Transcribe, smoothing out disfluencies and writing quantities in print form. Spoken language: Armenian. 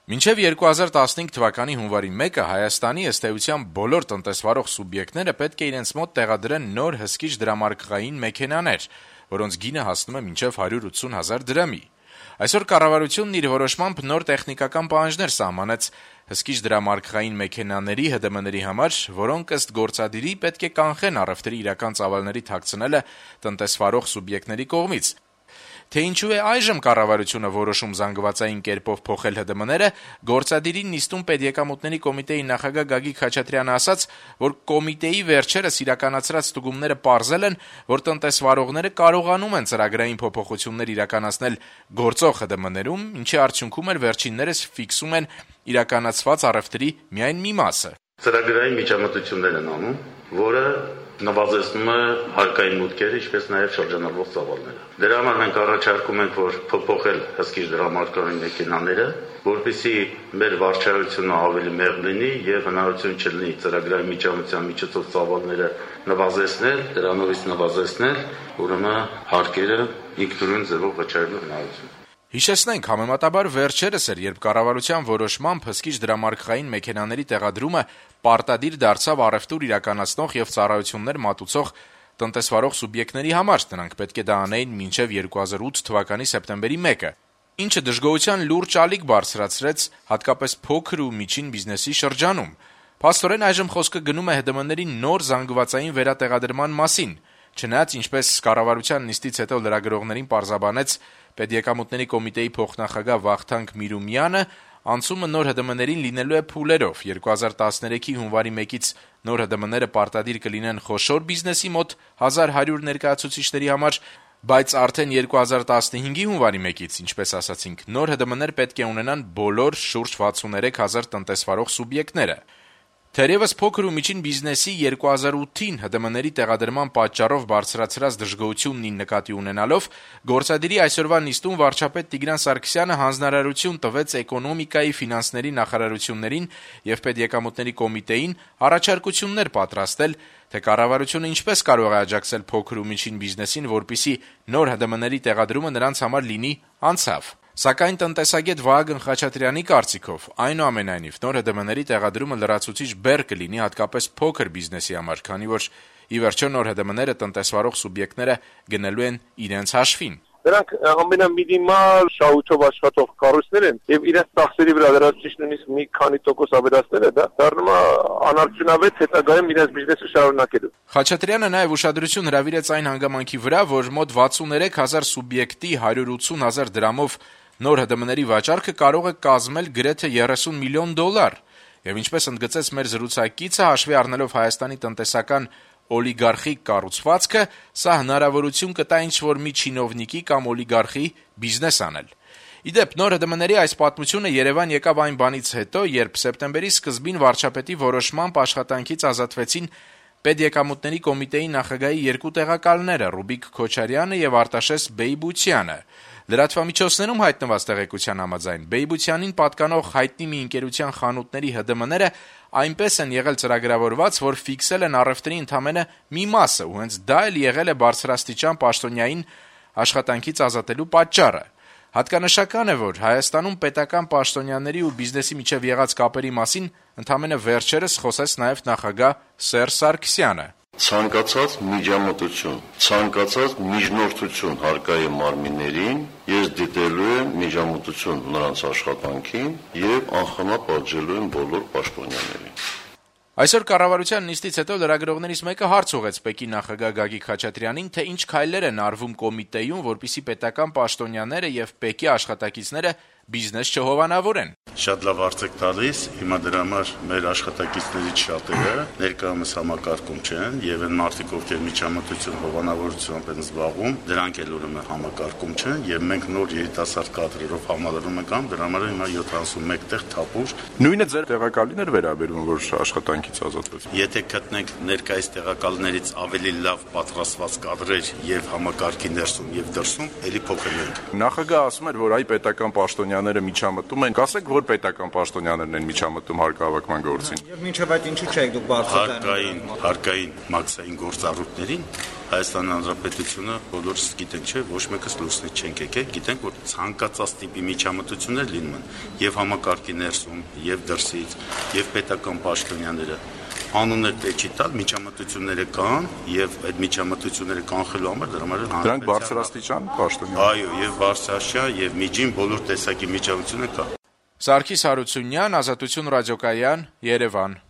Մինչև 2015 թվականի հունվարի 1-ը Հայաստանի ըստ էության բոլոր տնտեսվարող սուբյեկտները պետք է իրենց մոտ տեղադրեն նոր հսկիչ դրամարկղային մեքենաներ, որոնց գինը հասնում է մինչև 180 հազար դրամի։ Այսօր կառավարությունն իր որոշմամբ նոր տեխնիկական պահանջներ սահմանեց հսկիչ դրամարկղային մեքենաների ՀԴՄ-ների համար, որոնք ըստ գործադիրի պետք է կանխեն առևտրի իրական ծավալների թաքցնելը տնտեսվարող սուբյեկտների կողմից։ Թե ինչու է այժմ կառավարությունը որոշում զանգվածային կերպով փոխել ՀԴՄ-ները, գործադիրին նիստում Պետեկամուտների կոմիտեի նախագահ Գագիկ Խաչատրյանը ասաց, որ կոմիտեի վերջերս իրականացրած ստուգումները պարզել են, որ տնտեսվարողները կարողանում են ծրագրային փոփոխություններ իրականացնել գործող ՀԴՄ-ներում, ինչի արդյունքում էլ վերջիններս ֆիքսում են իրականացված առևտրի միայն մի մասը։ Ծրագրային միջամտություններ են անում, որը նվազեցնում է հարկային մուտքերը, ինչպես նաև շրջանառվող ծավալները։ Դրա համար մենք առաջարկում ենք, որ փոփոխել հսկիչ դրամարկղային մեքենաները, որպեսզի մեր վարչայությունը ավելի մեղմ լինի եւ հնարավորություն չլինի ծրագրային միջամտության միջոցով ծավալները նվազեցնել, դրանովից նվազեցնել, ուրեմն հարկերը ինքնուրույն ձևով վճարելու հնարավորություն։ Հիշեցնենք, համեմատաբար վերջերս էր, երբ կառավարության որոշմամբ հսկիչ դրամարկղային մեքենաների տեղադրումը պարտադիր դարձավ առևտուր իրականացնող եւ ծառայություններ մատուցող տնտեսվարող սուբյեկտների համար, նրանք պետք է դա անեին մինչեւ 2008 թվականի սեպտեմբերի 1-ը, ինչը դժգոհության լուրջ ալիք բարձրացրեց հատկապես փոքր ու միջին բիզնեսի շրջանում։ Փաստորեն այժմ խոսքը գնում է ՀԴՄ-ների նոր զանգվածային վերատեղադրման մասին, չնայած ինչպես կառավարության նիստից հետո լրագրողներին պարզաբանեց Պետեկամուտների կոմիտեի փոխնախագահ Վախթանգ Միրումյանը, անցումը նոր ՀԴՄ-ներին լինելու է փուլերով։ 2013-ի հունվարի 1-ից նոր ՀԴՄ-ները պարտադիր կլինեն խոշոր բիզնեսի մոտ 1100 ներկայացուցիչների համար, բայց արդեն 2015-ի հունվարի 1-ից, ինչպես ասացինք, նոր ՀԴՄ-ներ պետք է ունենան բոլոր շուրջ 63 հազար տնտեսվարող սուբյեկտները։ Թերևս փոքր ու միջին բիզնեսի 2008-ին ՀԴՄ-ների տեղադրման պատճառով բարձրացրած դժգոհությունն նկատի ունենալով, գործադիրի այսօրվա նիստում վարչապետ Տիգրան Սարգսյանը հանձնարարություն տվեց էկոնոմիկայի ֆինանսների նախարարություններին եւ Պետեկամուտների կոմիտեին առաջարկություններ պատրաստել, թե կառավարությունը ինչպես կարող է աջակցել փոքր ու միջին բիզնեսին, որպեսզի նոր ՀԴՄ-ների տեղադրումը նրանց համար լինի անցավ։ Սակայն տնտեսագետ Վահագն Խաչատրյանի կարծիքով, այնուամենայնիվ, նոր ՀԴՄ-ների տեղադրումը լրացուցիչ բեռ կլինի հատկապես փոքր բիզնեսի համար, քանի որ ի վերջո նոր ՀԴՄ-ները տնտեսվարող սուբյեկտները գնելու են իրենց հաշվին։ Նրանք ամենամինիմալ շահույթով աշխատող կառույցներ են եւ իրենց ծախսերի վրա դրանից նույնիսկ մի քանի տոկոս ավելացնելը դա դառնում է անարդյունավետ հետագայում իրենց բիզնեսը շարունակելու։ Խաչատրյանը նաեւ ուշադրություն հրավիրեց այն հանգամանքի վրա, որ մոտ 63 հազար սուբյեկտի 180 հազար դրամով նոր ՀԴՄ-ների վաճառքը կարող է կազմել գրեթե 30 միլիոն դոլար։ Եվ ինչպես ընդգծեց մեր զրուցակիցը, հաշվի առնելով Հայաստանի տնտեսական օլիգարխիկ կառուցվածքը, սա հնարավորություն կտա ինչ-որ մի չինովնիկի կամ օլիգարխի բիզնես անել։ Իդեպ, նոր ՀԴՄ-ների այս պատմությունը Երևան եկավ այն բանից հետո, երբ սեպտեմբերի սկզբին վարչապետի որոշմամբ աշխատանքից ազատվեցին Պետեկամուտների կոմիտեի նախագահի երկու տեղակալները՝ Ռուբիկ Քոչարյանը եւ Արտաշես Բեյբուցյանը։ Լրատվամիջոցներում հայտնված տեղեկության համաձայն Բեյբուցյանին պատկանող հայտնի մի ընկերության խանութների ՀԴՄ-ները այնպես են եղել ծրագրավորված, որ ֆիքսել են առևտրի ընդամենը մի մասը, ու հենց դա էլ եղել է բարձրաստիճան պաշտոնյային աշխատանքից ազատելու պատճառը։ Հատկանշական է, որ Հայաստանում պետական պաշտոնյաների ու բիզնեսի միջև եղած կապերի մասին ընդամենը վերջերս խոսեց նաև նախագահ Սերժ Սարգսյանը։ Ցանկացած միջամտություն, ցանկացած միջնորդություն հարկային մարմիններին ես դիտելու եմ միջամտություն նրանց աշխատանքին եւ անխնա պատժելու եմ բոլոր պաշտոնյաներին։ Այսօր կառավարության նիստից հետո լրագրողներից մեկը հարց ուղղեց ՊԵԿ-ի նախագահ Գագիկ Խաչատրյանին, թե ինչ քայլեր են արվում կոմիտեում, որպեսզի պետական պաշտոնյաները եւ ՊԵԿ-ի աշխատակիցները բիզնես չհովանավորեն։ Շատ լավ հարց եք տալիս, հիմա դրա համար մեր աշխատակիցներից շատերը ներկայումս համակարգում չեն եւ այն մարդիկ, ովքեր միջամտություն հովանավորությամբ են զբաղվում, դրանք էլ ուրեմն համակարգում չեն եւ մենք նոր երիտասարդ կադրերով համալրում ենք ամ, դրա համար հիմա 71 տեղ թափուր։ Նույնը ձեր տեղակալին էր վերաբերում, որ աշխատանքից ազատվեց։ Եթե գտնենք ներկայիս տեղակալներից ավելի լավ պատրաստված կադրեր եւ համակարգի ներսում եւ դրսում, ելի փոխել ենք։ Նախագահը ասում էր, որ այ պետական պաշտոնյաները միջամտում են, ասեք, որ պետական պաշտոնյաներն են միջամտում հարկահավաքման գործին։ Եվ մինչև այդ ինչու չեք դուք բարձրացնում հարկային մաքսային գործառույթներին Հայաստանի Հանրապետությունը բոլորս գիտենք, չէ, ոչ մեկս լուսնի չենք եկել, գիտենք, որ ցանկացած տիպի միջամտություններ լինում են եւ համակարգի ներսում, եւ դրսից, եւ պետական պաշտոնյաները անուններ տեչի տալ միջամտությունները կան եւ այդ միջամտությունները կանխելու համար դրանք բարձրաստիճան պաշտոնյան։ Այո, եւ բարձրաստիճան եւ միջին բոլոր տեսակի միջամտություններ կա։ Սարգիս Հարությունյան, Ազատություն ռադիոկայան, Երևան։